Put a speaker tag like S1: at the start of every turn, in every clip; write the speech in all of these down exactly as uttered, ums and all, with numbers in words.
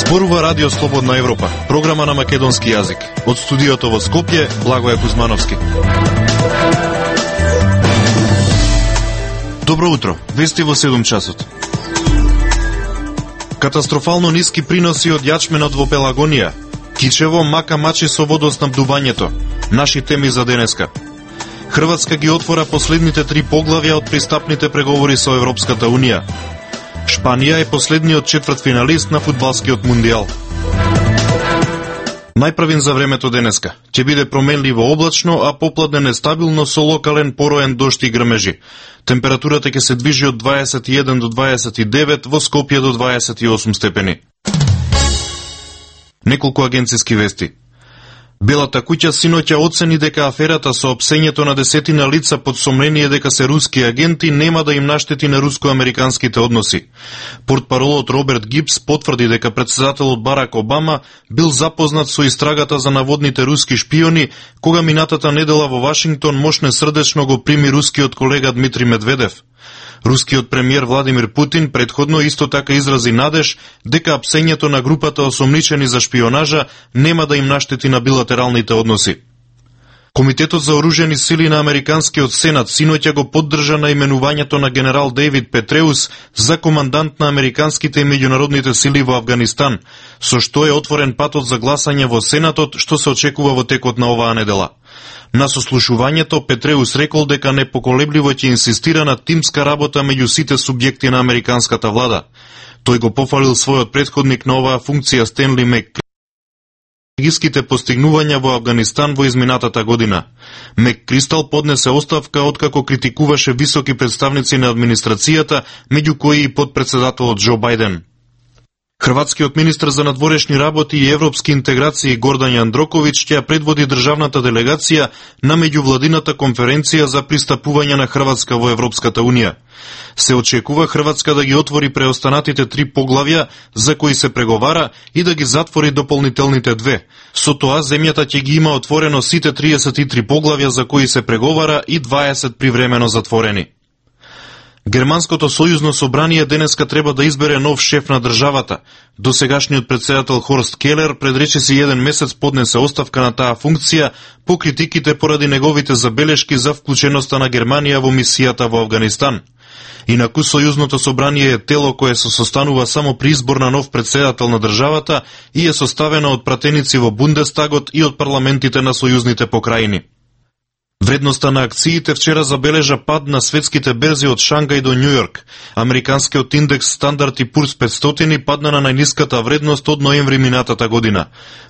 S1: Зборува Радио Слободна Европа, програма на македонски јазик. Од студиото во Скопје, Благоје Кузмановски. Добро утро, вести во седум часот. Катастрофално ниски приноси од јачменот во Пелагонија. Кичево мака мачи со водоснабдувањето. Наши теми за денеска. Хрватска ги отвора последните три поглавја од пристапните преговори со Европската Унија. Шпанија е последниот четвртфиналист на фудбалскиот мундијал. Најправин за времето денеска. Ќе биде променливо облачно, а попладне нестабилно со локален пороен дожд и грмежи. Температурата ќе се движи од дваесет и еден до дваесет и девет, во Скопје до дваесет и осум степени. Неколку агенциски вести. Белата куќа синоќа оцени дека аферата со опсењето на десетина лица под сомнение дека се руски агенти нема да им наштети на руско-американските односи. Портпаролот Роберт Гибс потврди дека председателот Барак Обама бил запознат со истрагата за наводните руски шпиони, кога минатата недела во Вашингтон мошне срдечно го прими рускиот колега Дмитрий Медведев. Рускиот премиер Владимир Путин претходно исто така изрази надеж дека апсењето на групата осомничени за шпионажа нема да им наштети на билатералните односи. Комитетот за оружени сили на Американскиот сенат синоќа го поддржа наименувањето на генерал Дејвид Петреус за командант на американските и меѓународните сили во Авганистан, со што е отворен патот за гласање во Сенатот, што се очекува во текот на оваа недела. На сослушувањето Петреус рекол дека непоколебливо ќе инсистира на тимска работа меѓу сите субјекти на американската влада. Тој го пофалил својот претходник на оваа функција Стенли Мек стратегиските постигнувања во Авганистан во изминатата година. Мек Кристал поднесе оставка откако критикуваше високи представници на администрацијата, меѓу кои и подпредседателот Џо Бајден. Хрватскиот министар за надворешни работи и европски интеграции Гордан Јандроковиќ ќе предводи државната делегација на меѓувладината конференција за пристапување на Хрватска во Европската Унија. Се очекува Хрватска да ги отвори преостанатите три поглавја за кои се преговара и да ги затвори дополнителните две. Со тоа земјата ќе ги има отворено сите триесет и три поглавја за кои се преговара и дваесет привремено затворени. Германското сојузно собрание денеска треба да избере нов шеф на државата. Досегашниот председател Хорст Келер пред речиси еден месец поднесе оставка на таа функција по критиките поради неговите забелешки за вклученоста на Германија во мисијата во Авганистан. Инаку сојузното собрание е тело кое се состанува само при избор на нов председател на државата и е составено од пратеници во Бундестагот и од парламентите на сојузните покрајини. Вредноста на акциите вчера забележа пад на светските берзи од Шангај до Њујорк. Американскиот индекс Стандард и Пурс петстотини падна на најниската вредност од ноември минатата година.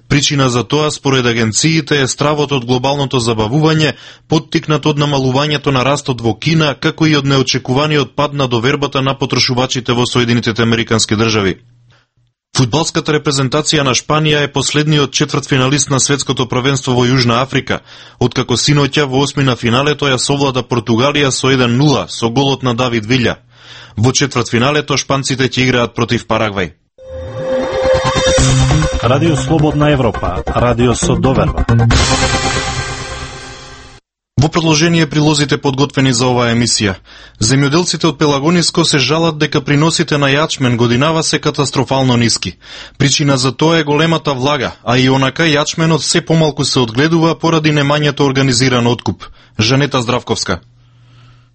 S1: Причина за тоа, според агенциите, е стравот од глобалното забавување, поттикнат од намалувањето на растот во Кина, како и од неочекуваниот пад на довербата на потрошувачите во Соединетите Американски држави. Фудбалската репрезентација на Шпанија е последниот четвртфиналист на светското првенство во Јужна Африка, откако синоќа во осмина финалето ја совлада Португалија со еден нула со голот на Давид Вилја. Во четвртфиналето шпанците ќе играат против Парагвај.
S2: Радио Слободна Европа, радио со доверба.
S1: Во продолжение прилозите подготвени за оваа емисија. Земјоделците од Пелагониско се жалат дека приносите на јачмен годинава се катастрофално ниски. Причина за тоа е големата влага, а и онака јачменот се помалку се одгледува поради немањето организиран откуп. Жанета Здравковска.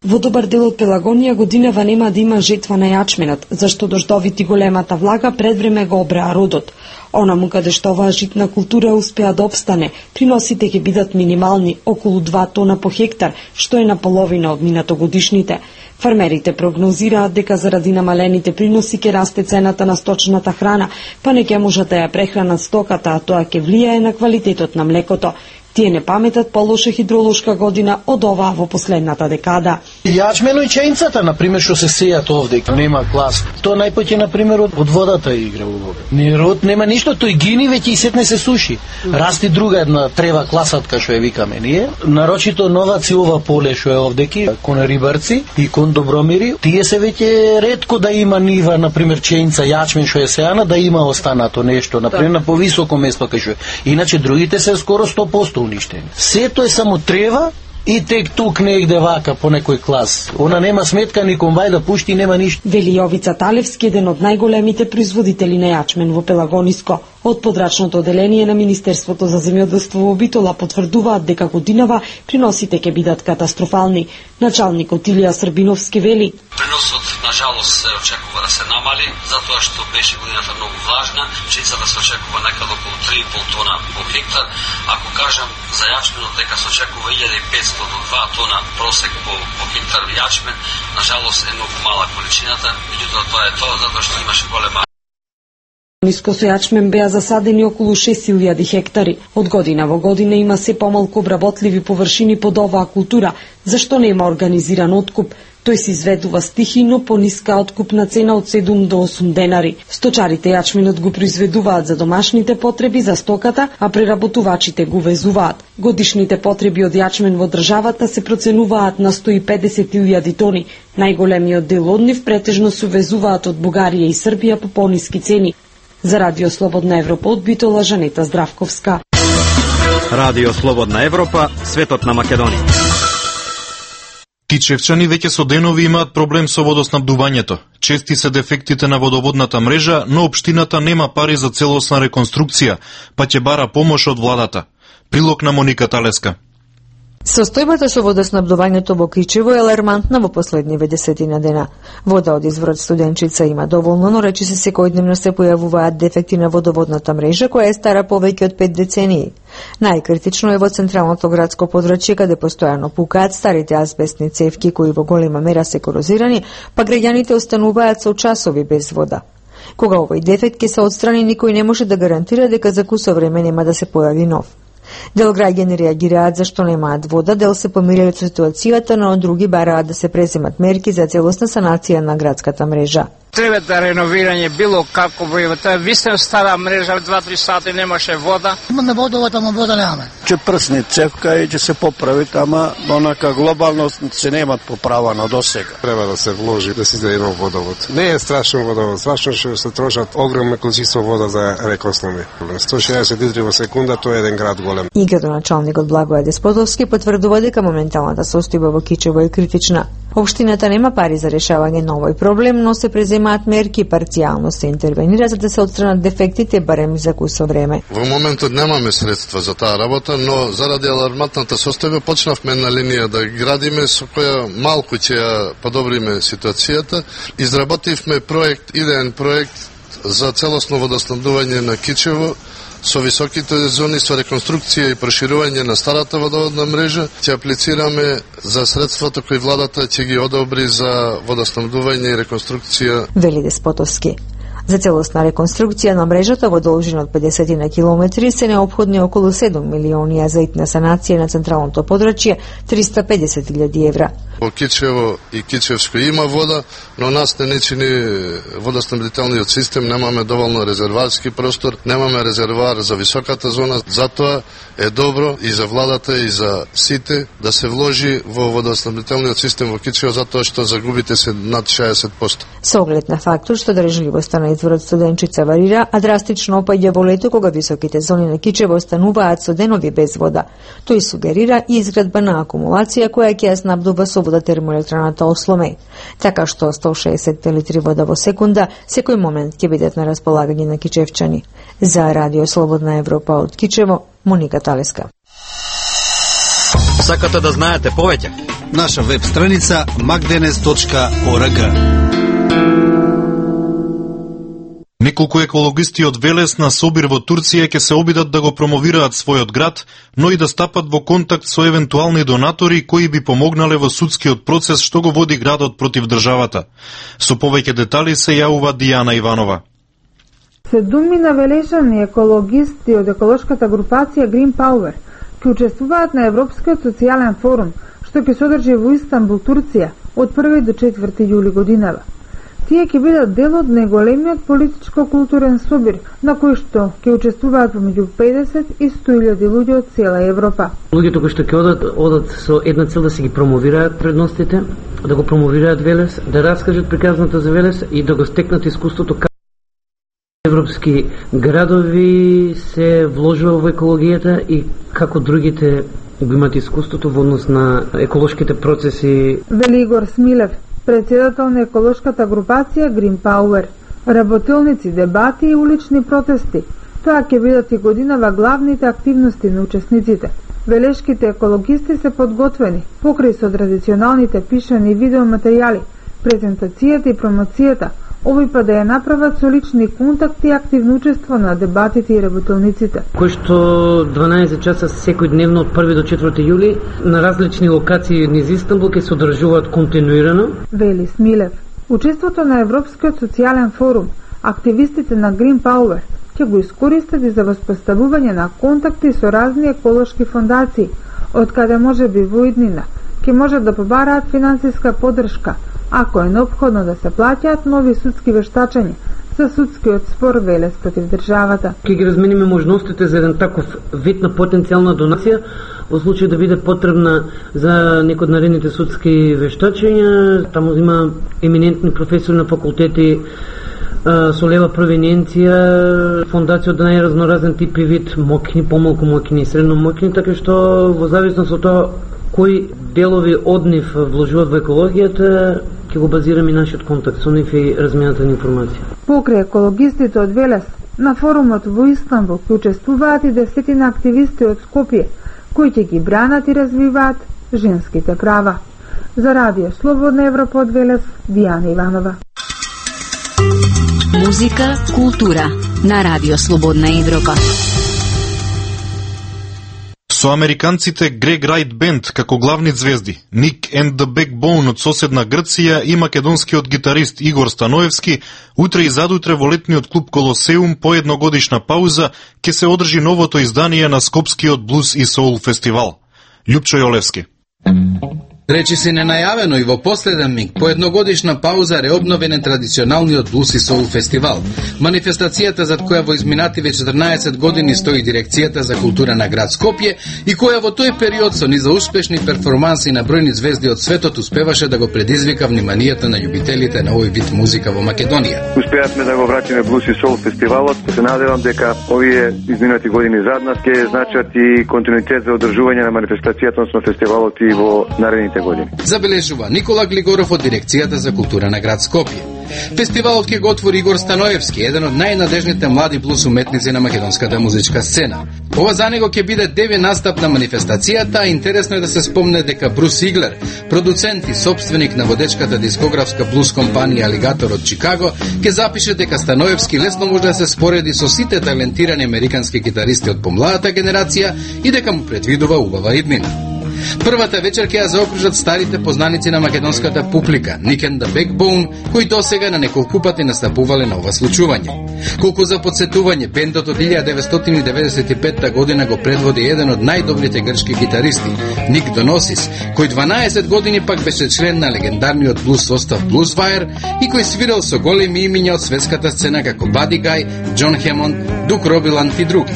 S3: Во добар дел од Пелагонија годинава нема да има жетва на јачменот, зашто дождовите и големата влага пред време го обреа родот. Онаму каде што оваа житна култура успеа да обстане, приносите ќе бидат минимални, околу два тона по хектар, што е наполовина од минатогодишните. Фармерите прогнозираат дека заради намалените приноси ќе расте цената на сточната храна, па не ќе можат да ја прехранат стоката, а тоа ќе влијае на квалитетот на млекото. Тие не паметат по-лоша хидролошка година од оваа во последната декада.
S4: Јачмено и чејнцата, например, што се сејат овде, нема клас. Тоа најпоќе, например, од, од водата игра улога. Нерод нема ништо, тој гини веќе и сетне се суши. Расти друга една трева класатка, што ја викаме ние. Нарочито новаци ова поле што е овдеки, кон рибарци и кон добромири. Тие се веќе ретко да има нива, например, чејнца, јачмен што е сејана, да има останато нешто, например, на повисоко место кај што е. Иначе другите се скоро сто проценти уништени. Сето е само трева И тек тук негде вака по некој клас. Она нема сметка ни комбај да пушти, нема ништо.
S3: Вели Јовица Талевски, еден од најголемите производители на јачмен во Пелагониско. Од подрачното оделение на Министерството за земјоделство во Битола потврдуваат дека годинава приносите ќе бидат катастрофални. Началникот Илија Србиновски вели:
S5: Приносот на жалост се очекува да се намали, затоа што беше годината многу влажна, пшеницата се очекува некаде околу три и пол тона по хектар. Ако кажам за јачменот дека се очекува илјада и петстотини до два тона просек по, по хектар јачмен, на жалост е многу мала количината, меѓутоа тоа е тоа затоа што имаше голема.
S3: Ниско со јачмен беа засадени околу шест илјади хектари. Од година во година има се помалку обработливи површини под оваа култура, зашто нема организиран откуп. Тој се изведува стихино по ниска откупна цена од седум до осум денари. Сточарите јачменот го произведуваат за домашните потреби за стоката, а преработувачите го везуваат. Годишните потреби од јачмен во државата се проценуваат на сто и педесет илјади тони. Најголемиот дел од нив претежно се везуваат од Бугарија и Србија по пониски цени. За Радио Слободна Европа од Битола, Жанета Здравковска.
S2: Радио Слободна Европа, светот на Македонија.
S1: Кичевчани веќе со денови имаат проблем со водоснабдувањето. Чести се дефектите на водоводната мрежа, но општината нема пари за целосна реконструкција, па ќе бара помош од владата. Прилог на Моника Талеска.
S6: Состојбата со водоснабдувањето во Кичево е алармантна во последниве десетина дена. Вода од изворот Студенчица има доволно, но речиси секојдневно се појавуваат дефекти на водоводната мрежа, која е стара повеќе од пет децении. Најкритично е во централното градско подрачје, каде постојано пукаат старите азбестни цевки кои во голема мера се корозирани, па граѓаните остануваат со часови без вода. Кога овој дефект ќе се отстрани, никој не може да гарантира дека за кусо време нема да се појави нов. Дел граѓани реагираат зашто немаат вода, дел се помириле со ситуацијата, но други бараат да се преземат мерки за целосна санација на градската мрежа.
S7: Треба да реновирање било како во таа вистина стара мрежа, два-три сати немаше вода.
S8: Имаме водовод, ама вода немаме.
S9: Ќе прсне цевка и ќе се поправи, ама онака глобално се немат поправано до сега.
S10: Треба да се вложи да се издаде нов водовод. Не е страшен водовод, страшно што се трошат огромно количество вода за реконструкција. сто и шеесет литри во секунда, тоа е еден град голем.
S6: И градоначалникот Благоје Деспотовски потврдува дека моменталната состојба во Кичево е критична. Општината нема пари за решавање на овој проблем, но се преземаат мерки, парцијално се интервенира за да се отстранат дефектите барем за кусо време.
S11: Во моментот немаме средства за таа работа, но заради алармантната состојба почнавме на линија да градиме со која малку ќе ја подобриме ситуацијата. Изработивме проект, идеен проект за целосно водоснабдување на Кичево со високите зони, со реконструкција и проширување на старата водоводна мрежа. Ќе аплицираме за средствата кои владата ќе ги одобри за водоснабдување и реконструкција.
S6: Вели Деспотовски. За целосна реконструкција на мрежата во должина од педесет на километри се неопходни околу седум милиони, а за итна санација на централното подрачје триста и педесет илјади евра.
S11: Во Кичево и Кичевско има вода, но нас не ни чини водоснабдителниот систем, немаме доволно резерварски простор, немаме резервар за високата зона, затоа е добро и за владата и за сите да се вложи во водоснабдителниот систем во Кичево, затоа што загубите се над шеесет проценти.
S6: Со оглед на фактот што држливоста на изворот Студенчица варира, а драстично опаѓа во лето кога високите зони на Кичево остануваат со денови без вода. Тој сугерира и изградба на акумулација која ќе ја снабдува со вода термоелектраната Осломе. Така што сто и шеесет литри вода во секунда секој момент ќе бидат на располагање на кичевчани. За Радио Слободна Европа од Кичево, Моника Талеска.
S2: Сакате да знаете повеќе?
S12: Наша веб страница макденес точка орг.
S1: Неколку екологисти од Велес на Собир во Турција ќе се обидат да го промовираат својот град, но и да стапат во контакт со евентуални донатори кои би помогнале во судскиот процес што го води градот против државата. Со повеќе детали се јавува Дијана Иванова.
S13: Седумина велешани екологисти од еколошката групација Green Power ќе учествуваат на Европскиот социјален форум, што ќе се одржи во Истанбул, Турција, од први до четврти јули годинава. Тие ќе бидат дел од најголемиот политичко-културен собир, на кој што ќе учествуваат помеѓу педесет и сто илјади луѓе од цела Европа.
S14: Луѓето кои што ќе одат, одат со една цел да се ги промовираат предностите, да го промовираат Велес, да раскажат приказната за Велес и да го стекнат искуството како европски градови се вложува во екологијата и како другите го имаат искуството во однос на еколошките процеси.
S13: Вели Игор Смилев, председател на еколошката групација Green Power. Работилници, дебати и улични протести. Тоа ќе бидат и годинава главните активности на учесниците. Велешките екологисти се подготвени, покрај со традиционалните пишани видеоматеријали, презентацијата и промоцијата, овој па да ја направат со лични контакти и активно учество на дебатите и работилниците.
S14: Кој што дванаесет часа секојдневно од први до четврти јули на различни локации низ Истанбул ќе се одржуваат континуирано.
S13: Вели Смилев, учеството на Европскиот социјален форум, активистите на Green Power ќе го искористат и за воспоставување на контакти со разни еколошки фондации, од каде може би во иднина ќе може да побараат финансиска поддршка, ако е неопходно да се плаќаат нови судски вештачања за судскиот спор велес против државата.
S14: Ќе ги размениме можностите за еден таков вид на потенцијална донација во случај да биде потребна за некој од наредните судски вештачања. Таму има еминентни професори на факултети со лева провиненција, фондација од најразноразен тип и вид, мокни, помалку мокни и средно мокни, така што во зависност од тоа кои делови од нив вложуваат во екологијата, ќе го базираме нашиот контакт со нив и размената на информација.
S13: Покрај екологистите од Велес, на форумот во Истанбул ќе учествуваат и десетина активисти од Скопје, кои ќе ги бранат и развиваат женските права. За Радио Слободна Европа од Велес, Дијана Иванова.
S15: Музика, култура на Радио Слободна Европа.
S1: Со американците Greg Wright Band како главни звезди, Nick and the Backbone од соседна Грција и македонскиот гитарист Игор Станоевски, утре и задутре во летниот клуб Колосеум по едногодишна пауза ќе се одржи новото издание на Скопскиот блуз и соул фестивал. Љупчо Јолевски.
S16: Речи се ненајавено и во последен миг, по едногодишна пауза реобновен е традиционалниот блуз и соул фестивал. Манифестацијата зад која во изминативе четрнаесет години стои дирекцијата за култура на град Скопје и која во тој период со низа успешни перформанси на бројни звезди од светот успеваше да го предизвика вниманието на љубителите на овој вид музика во Македонија.
S17: Успеавме да го вратиме блуз и соул фестивалот. Се надевам дека овие изминати години зад нас ќе значат и континуитет за одржување на манифестацијата на фестивалот и во наредните години.
S16: Забележува Никола Глигоров од дирекцијата за култура на град Скопје. Фестивалот ќе го отвори Игор Станоевски, еден од најнадежните млади блуз уметници на македонската музичка сцена. Ова за него ќе биде деви настап на манифестацијата, а интересно е да се спомне дека Брус Иглер, продуцент и собственик на водечката дискографска блуз компанија Алигатор од Чикаго, ќе запише дека Станоевски лесно може да се спореди со сите талентирани американски гитаристи од помладата генерација и дека му предвидува убава иднина. Првата вечер ќе ја заокружат старите познаници на македонската публика, Nick and the Backbone, кои досега на неколку пати настапувале на ова случување. Колку за подсетување, бендот од илјада деветстотини деветдесет и петта година го предводи еден од најдобрите грчки гитаристи, Ник Доносис, кој дванаесет години пак беше член на легендарниот блуз состав Blueswire и кој свирал со големи имиња од светската сцена како Buddy Guy, Джон Хемонд, Дук Робиланд и други.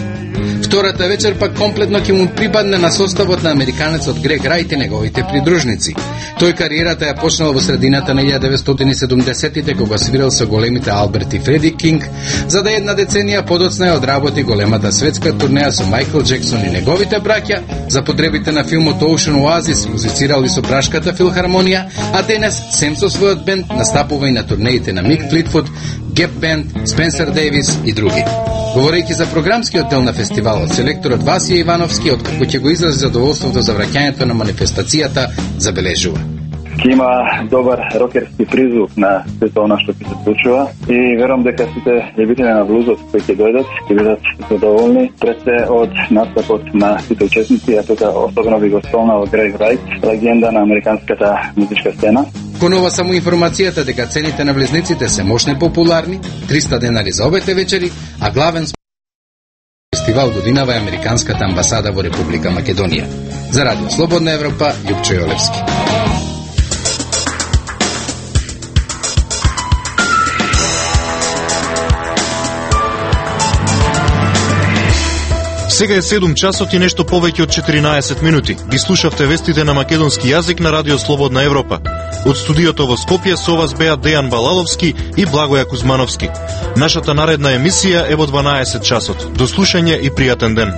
S16: Втората вечер пак комплетно ќе му припадне на составот на американецот Грег Рајт и неговите придружници. Тој кариерата ја почнал во средината на илјада деветстотини и седумдесеттите кога свирал со големите Алберт и Фреди Кинг, за да една деценија подоцна ја одработи големата светска турнеја со Майкл Джексон и неговите браќа, за потребите на филмот Ocean Oasis музицирал и со Прашката филхармонија, а денес сем со својот бенд настапува и на турнеите на Мик Флитвуд, Геп Бенд, Спенсер Дейвис и други. Говорејќи за програмскиот дел на фестивалот, селекторот Васија Ивановски, откако ќе го изрази задоволството за враќањето на манифестацијата, забележува.
S17: Ќе има добар рокерски призвук на сето она што ќе се случува и верувам дека сите љубители на блузот кои ќе дојдат ќе бидат задоволни пред се од настапот на сите учесници, а тоа особено би го спомнал Грег Рајт, легенда на американската музичка сцена.
S16: Конова само информацијата дека цените на влезниците се мощно популарни, триста денари за обете вечери, а главен фестивал годинава е американската амбасада во Република Македонија. За Радио Слободна Европа, Љупчо Јолевски.
S1: Сега е седум часот и нешто повеќе од четиринаесет минути. Ги слушавте вестите на македонски јазик на Радио Слободна Европа. Од студиото во Скопје со вас беа Дејан Балаловски и Благоја Кузмановски. Нашата наредна емисија е во дванаесет часот. До слушање и пријатен ден.